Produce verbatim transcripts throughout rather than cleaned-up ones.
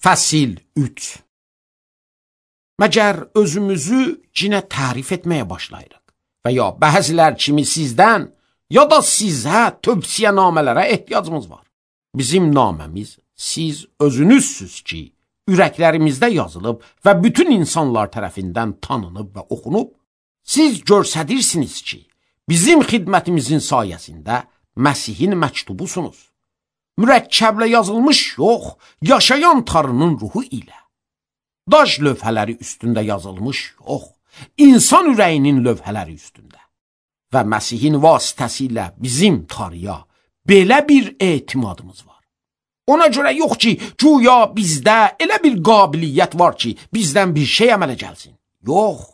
Fəsil üç. Məgər özümüzü cinə tərif etməyə başlayırıq və ya bəzilər kimi sizdən ya da sizə tövsiyə namələrə ehtiyacımız var. Bizim naməmiz siz özünüzsüz ki, ürəklərimizdə yazılıb və bütün insanlar tərəfindən tanınıb və oxunub, siz görsədirsiniz ki, bizim xidmətimizin sayəsində Məsihin məktubusunuz. Mürəkkəblə yazılmış yox, yaşayan Tanrının ruhu ilə. Daş lövhələri üstündə yazılmış yox, insan ürəyinin lövhələri üstündə. Və Məsihin vasitəsilə bizim Tanrıya belə bir etimadımız var. Ona görə yox ki, güya bizdə elə bir qabiliyyət var ki, bizdən bir şey əmələ gəlsin. Yox,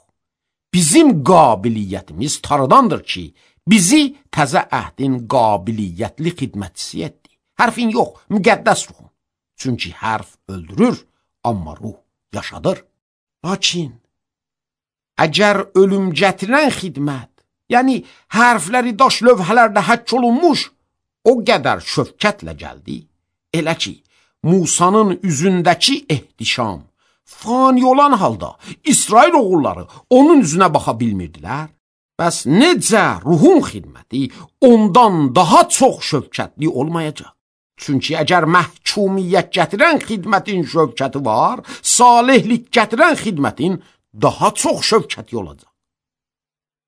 bizim qabiliyyətimiz Tanrıdandır ki, bizi təzə əhdin qabiliyyətli xidmətçisi etdi. Hərfin yox, müqəddəs ruhun. Çünki hərf öldürür, amma ruh yaşadır. Lakin, əgər ölüm gətirən xidmət, yəni hərfləri daş lövhələrdə həkk olunmuş, o qədər şöfkətlə gəldi, elə ki, Musanın üzündəki ehtişam, fani olan halda İsrail oğulları onun üzünə baxa bilmirdilər. Bəs necə ruhun xidməti ondan daha çox şöfkətli olmayacaq? Çünki əgər məhkumiyyət gətirən xidmətin şövkəti var, salihlik gətirən xidmətin daha çox şövkəti olacaq.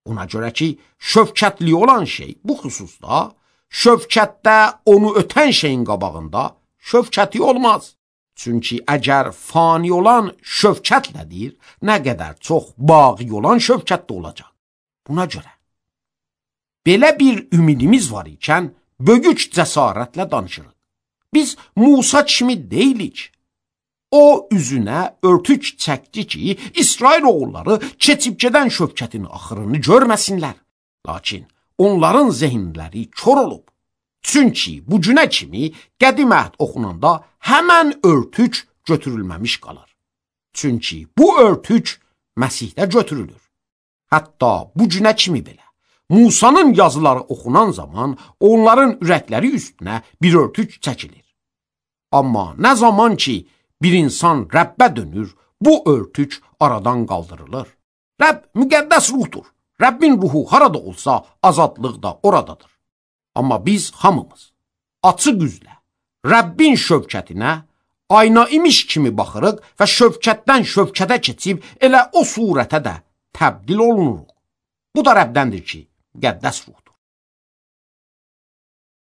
Ona görə ki, şövkətli olan şey bu xüsusda, şövkətdə onu ötən şeyin qabağında şövkəti olmaz. Çünki əgər fani olan şövkətlədir, nə qədər çox baqi olan şövkətdə olacaq. Buna görə, belə bir ümidimiz var ikən, böyük cəsarətlə danışırıq. Biz Musa kimi deyilik. O üzünə örtük çəkdi ki, İsrail oğulları keçib gedən şövkətin axırını görməsinlər. Lakin onların zehinləri kör olub. Çünki bu günə kimi qədim əhd oxunanda həmən örtük götürülməmiş qalır. Çünki bu örtük Məsihdə götürülür. Hətta bu günə kimi belə. Musanın yazıları oxunan zaman onların ürəkləri üstünə bir örtük çəkilir. Amma nə zaman ki bir insan Rəbbə dönür, bu örtük aradan qaldırılır. Rəbb müqəddəs ruhdur. Rəbbin ruhu harada olsa azadlıq da oradadır. Amma biz hamımız açıq üzlə Rəbbin şövkətinə ayna imiş kimi baxırıq və şövkətdən şövkətə keçib elə o surətə də təbdil olunuruq. Bu da Rəbdəndir ki, müqəddəs ruhdur.